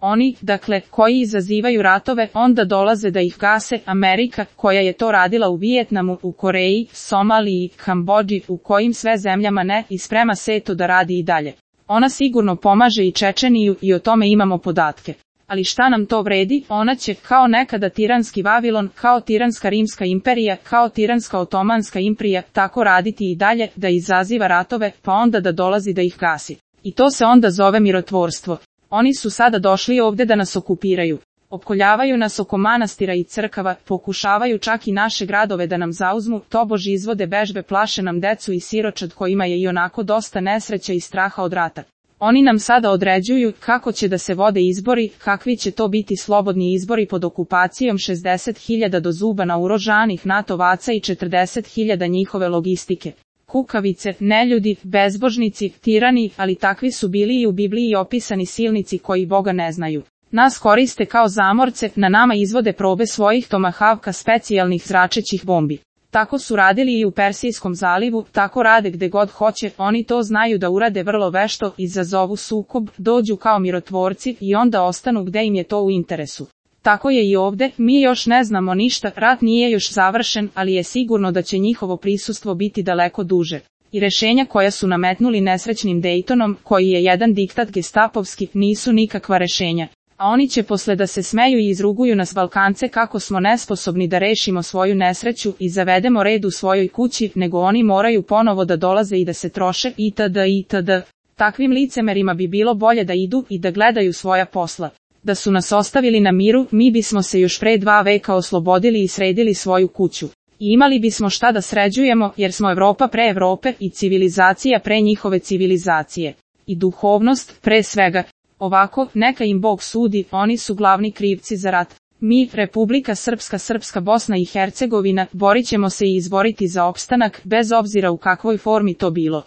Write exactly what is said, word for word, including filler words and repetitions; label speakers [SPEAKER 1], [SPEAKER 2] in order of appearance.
[SPEAKER 1] Oni, dakle, koji izazivaju ratove, onda dolaze da ih gase. Amerika, koja je to radila u Vijetnamu, u Koreji, Somaliji, Kambodži, u kojim sve zemljama ne, i sprema se to da radi i dalje. Ona sigurno pomaže i Čečeniju i o tome imamo podatke. Ali šta nam to vredi, ona će, kao nekada tiranski Vavilon, kao tiranska Rimska imperija, kao tiranska Otomanska imperija, tako raditi i dalje, da izaziva ratove, pa onda da dolazi da ih gasi. I to se onda zove mirotvorstvo. Oni su sada došli ovde da nas okupiraju. Opkoljavaju nas oko manastira i crkava, pokušavaju čak i naše gradove da nam zauzmu, tobož izvode vežbe, plaše nam decu i siročad kojima je i onako dosta nesreća i straha od rata. Oni nam sada određuju kako će da se vode izbori, kakvi će to biti slobodni izbori pod okupacijom šezdeset hiljada do zuba naoružanih NATO-vaca i četrdeset hiljada njihove logistike. Kukavice, neljudi, bezbožnici, tirani, ali takvi su bili i u Bibliji opisani silnici koji Boga ne znaju. Nas koriste kao zamorce, na nama izvode probe svojih tomahavka specijalnih zračećih bombi. Tako su radili i u Persijskom zalivu, tako rade gde god hoće, oni to znaju da urade vrlo vešto, izazovu sukob, dođu kao mirotvorci i onda ostanu gde im je to u interesu. Tako je i ovde, mi još ne znamo ništa, rat nije još završen, ali je sigurno da će njihovo prisustvo biti daleko duže. I rešenja koja su nametnuli nesrećnim Daytonom, koji je jedan diktat gestapovski, nisu nikakva rešenja. A oni će posle da se smeju i izruguju nas Balkance kako smo nesposobni da rešimo svoju nesreću i zavedemo red u svojoj kući, nego oni moraju ponovo da dolaze i da se troše itd. itd. Takvim licemerima bi bilo bolje da idu i da gledaju svoja posla. Da su nas ostavili na miru, mi bismo se još pre dva veka oslobodili i sredili svoju kuću. I imali bismo šta da sređujemo, jer smo Evropa pre Evrope i civilizacija pre njihove civilizacije. I duhovnost pre svega. Ovako, neka im Bog sudi, oni su glavni krivci za rat. Mi, Republika Srpska, Srpska Bosna i Hercegovina, borit ćemo se i izboriti za opstanak, bez obzira u kakvoj formi to bilo.